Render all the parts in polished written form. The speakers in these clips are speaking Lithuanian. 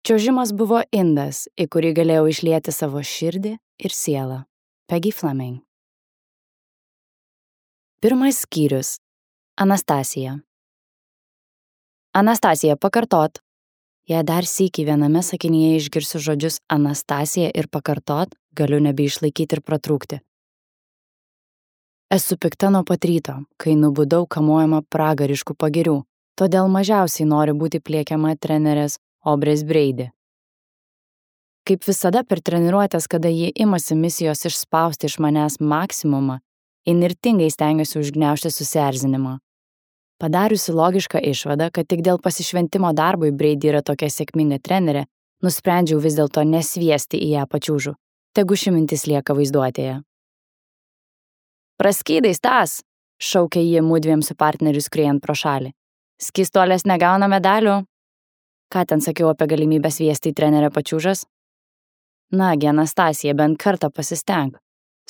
Čiuožimas buvo indas, į kurį galėjau išlieti savo širdį ir sielą. Peggy Fleming. Pirmas skyrius. Anastasija. Anastasija, pakartot. Jei dar sykį viename sakinyje išgirsiu žodžius Anastasija ir pakartot, galiu nebeišlaikyti ir pratrūkti. Esu pikta nuo pat ryto, kai nubudau kamuojama pragariškų pagirių, todėl mažiausiai noriu būti pliekiama trenerės Obrės Brady. Kaip visada per treniruotės, kada ji imasi misijos išspausti iš manęs maksimumą, įnirtingai stengiuosi užgniaužti susierzinimą. Padariusi logišką išvadą, kad tik dėl pasišventimo darbui Brady yra tokia sėkminga trenerė, nusprendžiau vis dėlto nesviesti į ją pačiūžų. Tegu ši mintis lieka vaizduotėje. Praskydai, Stas, šaukė ji mudviem su partneriu skriejant pro šalį. Skystolės negauna medalių. Ką ten sakiau apie galimybę sviesti į trenerę pačiūžas? Nagi, Anastasija, bent kartą pasistenk.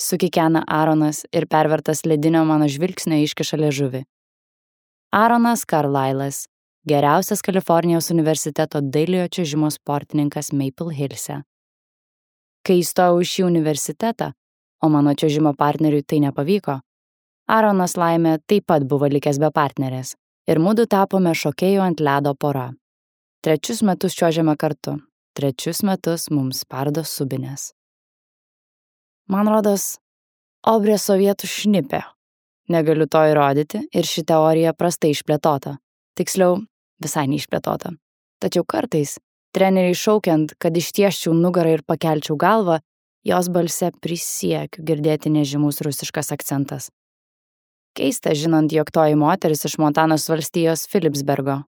Sukikena Aaronas ir pervertas ledinio mano žvilgsnio iškiša liežuvį. Aaronas Carlyle'as, geriausias Kalifornijos universiteto dailiojo čiuožimo sportininkas Maple Hillse. Kai įstojau į šį universitetą, o mano čiuožimo partneriui tai nepavyko, Aaronas laimė taip pat buvo likęs be partnerės ir mudu tapome šokėjų ant ledo pora. 3 metus čiuožėme kartu, 3 metus mums spardo subinės. Man rodos, Obrė sovietų šnipė. Negaliu to įrodyti ir ši teorija prastai išplėtota. Tiksliau, visai neišplėtota. Tačiau kartais, treneriai šaukiant, kad ištiesčiau nugarą ir pakelčiau galvą, jos balse prisiekiu girdėti nežymus rusiškas akcentas. Keista, žinant, jog toji moteris iš Montanos valstijos Philipsburgo.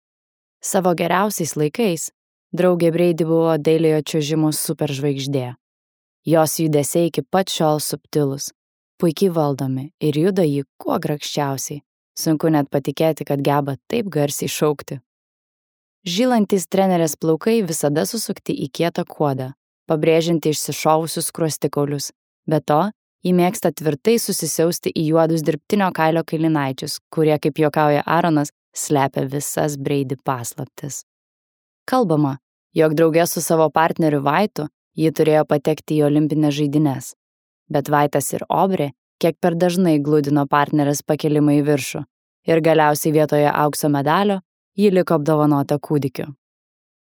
Savo geriausiais laikais draugė Brady buvo dailiojo čiuožimo superžvaigždė. Jos judesiai iki pat šiol subtilūs, puikiai valdomi ir juda jį kuo grakščiausiai. Sunku net patikėti, kad geba taip garsiai šaukti. Žylantys trenerės plaukai visada susukti į kietą kuodą, pabrėžianti išsišovusius skruostikaulius. Be to, ji mėgsta tvirtai susisiausti į juodus dirbtinio kailio kailinaičius, kurie, kaip juokauja Aaronas, slepia visas Brady paslaptis. Kalbama, jog drauge su savo partneriu Vaitu ji turėjo patekti į olimpines žaidynes. Bet Vaitas ir Obrė kiek per dažnai gludino partnerės pakelimą į viršų ir galiausiai vietoje aukso medalio ji liko apdovanota kūdikiu.